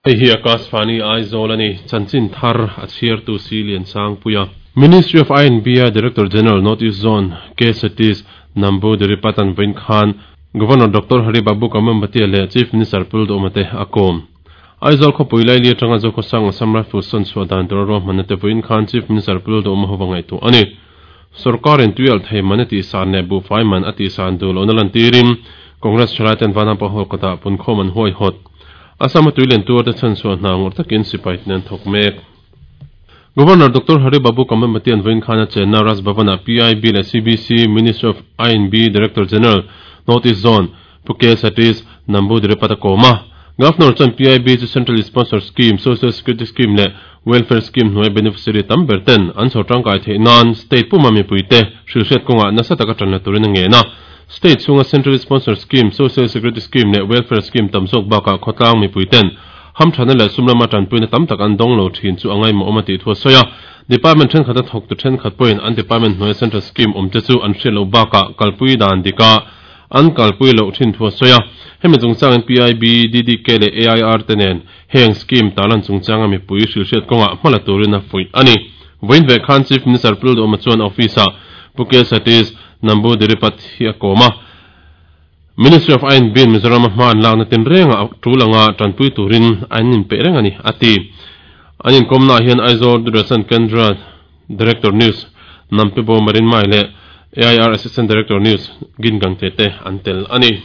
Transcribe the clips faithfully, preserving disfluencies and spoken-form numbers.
Hei hi Akashvani Aizawl a ni, chanchin thar a chhiartu si Lian Sangpuia. Ministry of I and B a Director General North East Zone K Satish Namboodiripad-a'n vawiin khan Governor Doctor Hari Babu Kambhampati leh Chief Minister Pu Duhoma te a kawm. Aizawl khawpui laili atanga Zokhawsang Assam Rifles sawn chhuah dan tur a ruahmanna te vawiin khan Chief Minister Pu Duhoma ho va ngaihtuah a ni. Sorkarin tuialh thei man a tihsan leh buhfai man a tihsan duh lohna lantirin Congress thalai ten Vanapa Hall kawtah punkhawm an huaihawt. Assam-a tuilian tur te chhan chhuah hna ngawrh takin sipai ten an thawk mek. Governor Doctor Hari Babu Kambhampati an vawiin khan a chenna Raj Bhavan-ah P I B leh C B C Ministry of I and B Director General North East Zone Pu K Satish Namboodiripad a kawm a. Governor chuan P I B chu Central Sponsor Scheme, Social Security Scheme leh Welfare Scheme hnuai beneficiary tam ber ten an chho tangkai theih nan state puma mipuite hrilhriat kawngah nasa taka tan la turin a ngen a. State chhunga Central Sponsor Scheme, Social Security Scheme leh Welfare Scheme tam zawk bakah khawtlang mipuiten hamthana leh sum lama tanpuina tam tak an dawng lo thin chu a ngaimawh awm a tih thu a sawi a. Department thenkhat a thawktu thenkhat pawhin an department hnuaia central scheme awm te chu an hriat loh bakah kalpui dan dika an kalpui loh thin thu a sawi a. Hemi chungchangin P I B, D D K leh A I R te nen heng scheme tarlan chungchanga mipui hrilhriat kawngah hma la turin a fuih a ni. Vawiin ve khan Chief Minister Pu Duhoma chuan office-ah Pu K Satish Namboodiripad hi a kawm a. Ministry of I and B in Mizoram a hma an lakna tin rengah tul anga tanpui turin an inpeih reng a ni, a ti. An inkawmnaah hian Aizawl Doordarshan Kendra Director News Nampibo Marinmai leh A I R Assistant Director News Gin Gangte te an tel a ni.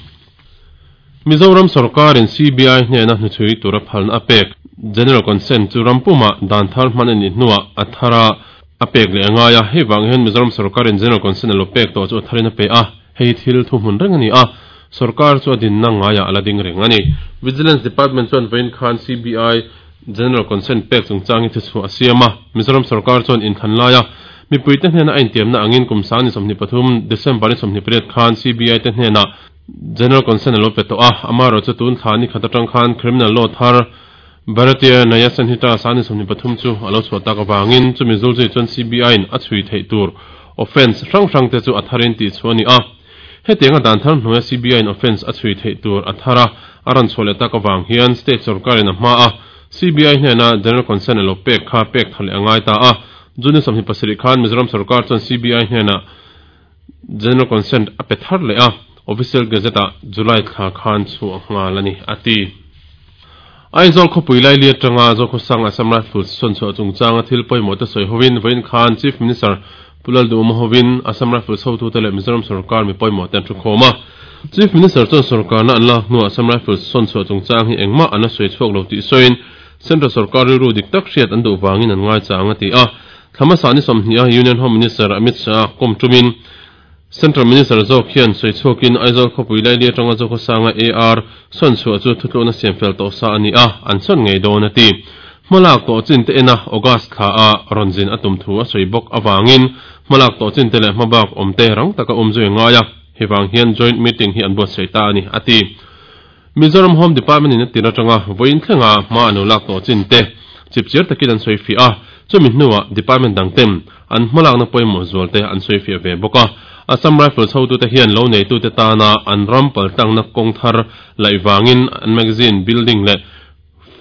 Mizoram sorkarin C B I hnena hnuchhui tura phalna a pek General Consent chu rampuma dan thar hman a nih hnuah a thara a pek leh a ngai a. Hei vang hian Mizoram sorkarin General Consent a lo pek tawh chu a tharin a pe a, hei thil thu hmun reng a ni a, sarkar chu a dinna ngaiah a la ding reng a ni. Vigilance Department chuan vawiin khan C B I General Consent pek chungchang hi thuchhuah a siam a, Mizoram sarkar chuan inthlan laia mipuite hnena a intiamna angin kum sang ni sawmhnih pathum December ni sawmhnih pariat khan C B I te hnena General Consent a lo pe tawh a, amaherawhchu chu tun thla ni khat atang khan Criminal Law thar Bharatiya Nyaya Sanhita sang ni sawmhnih pathum chu a lo chhuah tak avangin chumi zulzui chuan C B I in a chhui theih tur offence hrang hrang te chu a tharin tih chu a ni a. Hetianga dan thar hnuaia C B I in offence a chhui theih tur a thar a, a rawn chhuah leh tak avang hian state sarkarin a hma a, C B I hnena General Consent a lo pek kha pek tha leh a ngai ta a. June sawmhnih pasarih khan Mizoram sarkar chuan C B I hnena General Consent a pe thar leh a, Official Gazette-ah July thla khan chhuah nghal a ni, a ti. Aizawl khawpui laili atanga Zokhawsang Assam Rifles sawn chhuah chungchanga thil pawimawh te sawi hovin vawiin khan Chief Minister Pu Lalduhoma hovin Assam Rifles hotute leh Mizoram sarkar mi pawimawh te an thu khawm a. Chief Minister chuan sarkarna an lak hnuah Assam Rifles sawn chhuah chungchang hi engmah an la sawi chhuak lo tih sawiin Central sarkar rilru dik tak hriat an duh vangin an ngai chang a ti a. Thlamasa ni sawmhnih a Union Home Minister Amit Shah kawm tumin Central Minister zawk hian sawi chhuakin Aizawl khawpui laili atanga Zokhawsanga A R sawn chhuah chu thutlukna siam fel tawh sa a ni a, an sawn ngei dawn a ti. Hmalak tawh chin te ena August thla a rawn zin a tum thu a sawi bawk avangin hmalak tawh chin te leh hmabak awm te rang taka awm zui a ngai a, hei vang hian joint meeting hi an buatsaih ta a ni, a ti. Mizoram Home Department in a tir atanga vawiin thlenga hma an lo lak tawh chin te chipchiar takin an sawi fiah a, chumi hnuah department dang ten an hmalakna pawimawh zual te an sawi fiah ve bawk a. Assam Rifles hotute hian lo neitute tana an ram paltlangna kawng thar laih vangin an magazine building leh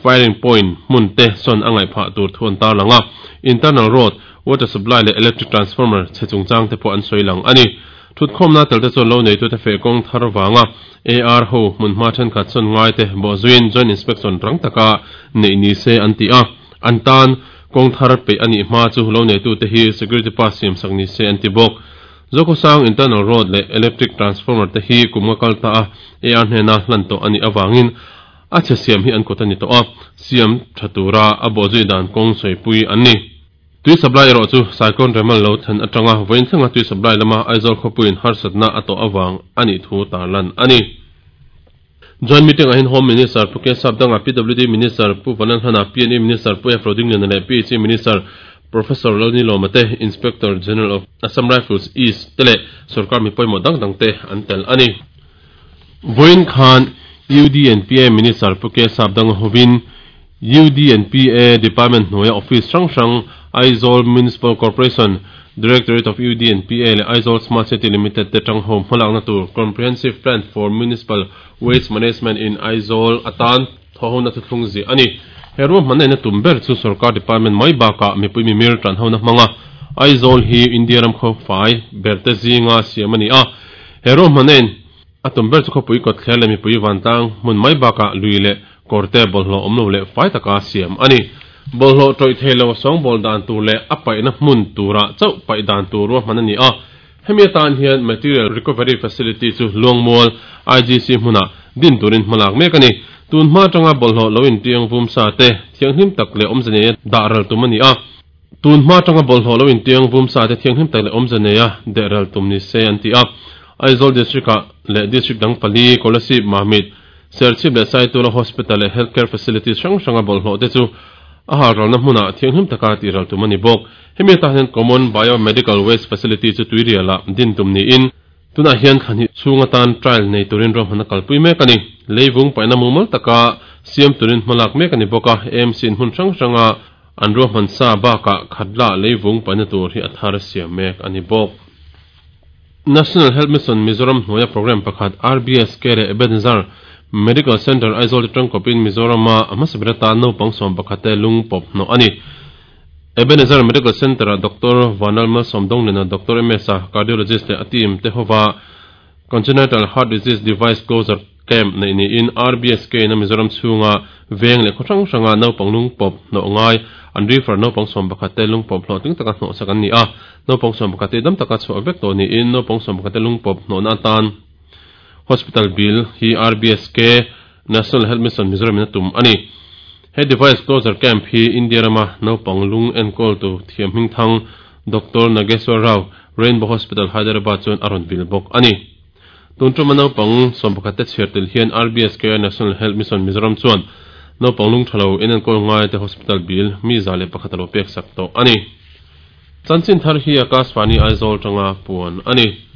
firing point hmun te sawn a ngaihphah tur thu an tarlang a. Internal road, water supply leh electric transformer chhe chungchang te pawh an sawi lang a ni. Thutkhawmna tel te chuan lo neitute feh kawng thar vanga A R ho hmunhma thenkhat sawn ngai te bawhzuiin joint inspection rang taka neih ni se an ti a. An tan kawng thar peih a nih hma chu lo neitute hi security pass siam sak ni se an ti bawk. Zokhawsang internal road leh electric transformer te hi kum nga kal ta a A R hnena hlan tawh a nih avangin a chhe siam hi an kut a ni tawh a, siam tha tura a bawhzui dan kawng sawipui an ni. Tui supply erawh chu Cyclone Remal lo thlen atanga vawiin thlenga tui supply lama Aizawl khawpuiin harsatna a tawh awang a nih thu tarlan a ni. Joint meeting ah hian Home Minister Pu K Sapdanga, P W D Minister Pu Vanlalhlana, P and E Minister Pu F Rodingliana leh P H E Minister Professor Lalnilawma te, Inspector General of Assam Rifles East te leh sarkar mi pawimawh dang dang te an tel a ni. Vawiin khan U D and P A Minister Pu K Sapdanga hovin U D and P A Department hnuaia office hrang hrang Aizawl Municipal Corporation, Directorate of U D and P A leh Aizawl Smart City Limited te tang ho hmalakna tur Comprehensive Plan for Municipal Waste Management in Aizawl atan thawhona thu thlung zi ani heru manai na tumber chu sarkar department mai baka mipui mi mir tran hona manga Aizawl hi India ram kho fai berte zinga siamani a hero manen atum ber chu khopui kot thlele mipui wantang mun mai baka luile korte bolhlo omlo le fai taka siam ani bolhlo toi thelo song bol dan tur le apai na hmun tura chau pai dan tur ro manani a hemi tan hian material recovery facility chu longmol I G C hmuna din turin hmalak mek ani tun hma tanga bolhlo loin tiang vum sa te thianghlim tak le omzane da ral tum ani a tun hma tanga bolhlo loin tiang vum sa te thianghlim tak le omzane ya de ral tum ni se an ti a Aizawl district le district dang pali Kolasib Mamit Serchhip le Saitual Hospital le healthcare facilities hrang hranga bolhlo te chu a ha ral na hmuna thianghlim taka ti ral tum ani bawk hemi ta hian common biomedical waste facility chu tuiriala din tum ni in tuna hian khani chunga tan trial nei turin rom hana kalpui mek ani leivung paina mumal taka siam turin hmalak mek ani bawka M C in hmun hrang hranga an ro hman sa baka khatla leivung paina tur hi athar siam mek ani bawk National Health Mission Mizoram hnuaia program pakhat R B S K le Ebenezer Medical Center Aizawl tangkopin Mizoram a hmasabira naupang sawm pakhate lung pawp hnawh ani Ebenezer Medical Center a Doctor Vanalma Somdong lena Doctor M S a cardiologist le a team te hova congenital heart disease device closure camp nei ni in R B S K na Mizoram chhunga veng le khawhrang hranga naupang lung pawp hnawh ngai an refer naupang sawm pakhate lung pawp hlawh tling taka hnawh sak an ni a naupang sawm pakhate dam taka chhuah vek tawh ni in naupang sawm pakhate lung pawp hnawh na atan hospital bill hi R B S K National Health Mission Mizoram in a tum ani he device closure camp hi India rama naupang lung enkawl tu thiam hming thang Doctor Nageswar Rao Rainbow Hospital Hyderabad chuan a rawn vil bawk ani tun tuma naupang sawm pakhate chhiar tel hian R B S K National Health Mission Mizoram chuan naupang lung thalo in enkawl ngai te hospital bill mi za le pakhat alo pek sak tawh ani chanchin thar hi Akashvani Aizawl tanga puan ani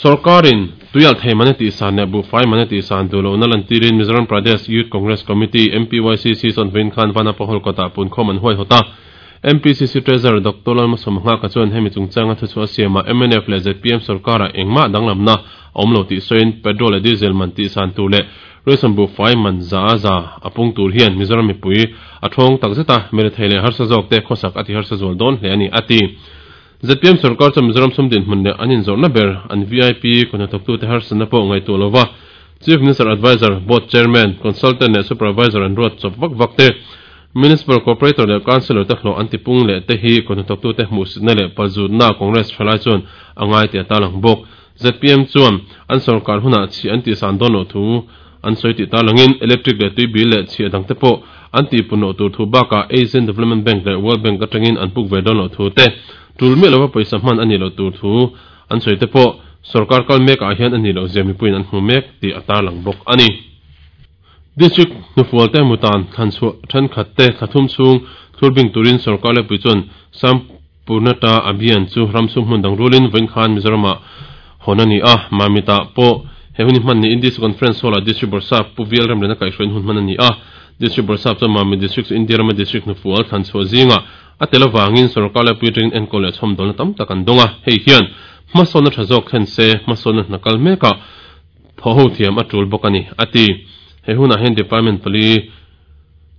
Sarkarin tuyal thei mane ti san ne bu fai mane ti san dulo na lantirin Mizoram Pradesh Youth Congress Committee M P Y C C son vein khan vana pahol kota pun khom an huai hota M P C C Treasurer Doctor Lalmalsawmnghaka ka chuan hemi chungchanga thu chu siama M N F le Z P M sarkara engma danglamna awmlo ti soin petrol le diesel man ti san tu le ration bu fai man za za apung tur hian Mizoram mipui a thong takzeta mere theile harsa zawk te khosak ati harsa zol don hle ani ati Z P M sarkar chu Mizoram sumdin hmun le anin zawrna ber an V I P konathawk tu te harsana pawh ngai tu lova Chief Minister Advisor Board Chairman Consultant le Supervisor an ruat chawp vak vak te Municipal Corporator le Councillor te hlawh an tipung le te hi konathawk tu te hmuhsitna le palzutna Congress thalai chuan angai ti atalang bawk Z P M chuan an sarkar huna chi an ti san dawn lo thu an sawi ti talangin electric le tui bil le chi adang te pawh an ti puno tur thu baka Asian Development Bank le World Bank atangin an puk ve dawn lo thu te tul me lova paisa hman ani lo tur thu an sawi te pawh sarkar kal mek ah hian ani lo zia mipuiin an hmu mek ti atalang bawk ani district hnufual te mutan thlan chhuah thenkhat te thlathum chhung thurbing turin sarkar le pui chuan Sampurnata Abhiyan chu ramsum hmun dang rulin vawiin khan Mizoram ah hawn ani a Mamita pawh he hun hman ni Indies Conference Hall a district Borsap pu vial ram lena kaihhruain hun hman ani a district Borsap chuan Mamit district chu India rama district hnufual thlan chhuah zinga a tel awangin sarkar le pui atangin enkawl leh chhawm dawlna tam tak an dawnga hei hian hmasawnna tha zawk thlen se hmasawnna hna kal meka thaw ho thiam a tul bawk ani ati he hunah hian department pali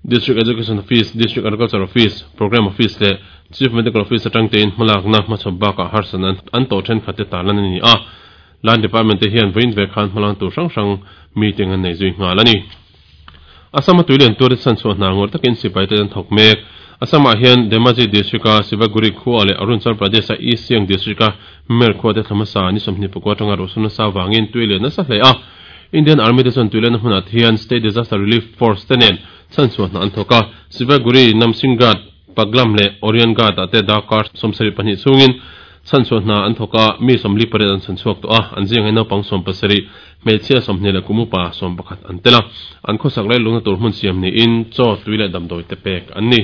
District Education Office District Agriculture Office Program Office le Chief Medical Office atang tein hmalakna hmachhawp bakah harsan an tawh thenkhat te tarlan ani a Land Department te hian vawiin ve khan hmalang tur hrang hrang meeting an nei zui nghal ani Assam a tuilian tur san chhuah hna ngawr takin sipai te an thawk mek Assam ah hian Dhemaji district a Sivaguri khua leh Arunachal Pradesh a East Siang district a Mer khua te thlamasa ni sawmhnih pakua atanga ruhsawmna sa wangin tuilian nasa hle a Indian Army te chuan tuilian hmunah hian State Disaster Relief Force te nen chan chhuah hna an thawk a Sivaguri Namsinghat Paglam le Orion Ghat ah te dakar sawmsarih pahnih chhungin chan chhuah hna an thawk a mi sawmli pariat an chan chhuak tawh a an zing hi naupang sawm pasarih hmeichhia sawmhnih leh kumupa sawm pakhat an tel a an khawsak lai lungna tur hmun siam niin chaw tui leh damdawi te pek an ni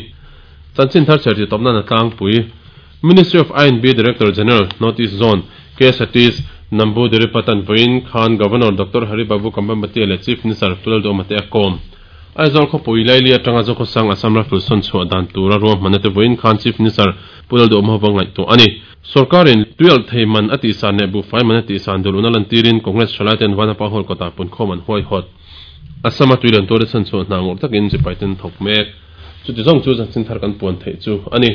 chanchin thar chher ti tawpna na tlangpui Ministry of I and B Director General North East Zone K Satish Namboodiripad vawiin khan Governor Doctor Hari Babu Kambhampati le Chief Minister Lalduhoma te a kawm Aizawl khawpui laili atanga Zokhawsang Assam Rifles sawn chhuah dan tura ruahmanna te vawiin khan Chief Minister Lalduhoma hova ngaihtuah ani sarkarin tuyal thei man ati san le bu fai man ati san duluna lantirin Congress thalai ten vanapa hall kota pun khom an huai hot Assam a tuilen tuar chan chu hna ngawr takin sipai ten thawk mek. Chuti zawng chu chanchin thar kan puan theih chu ani.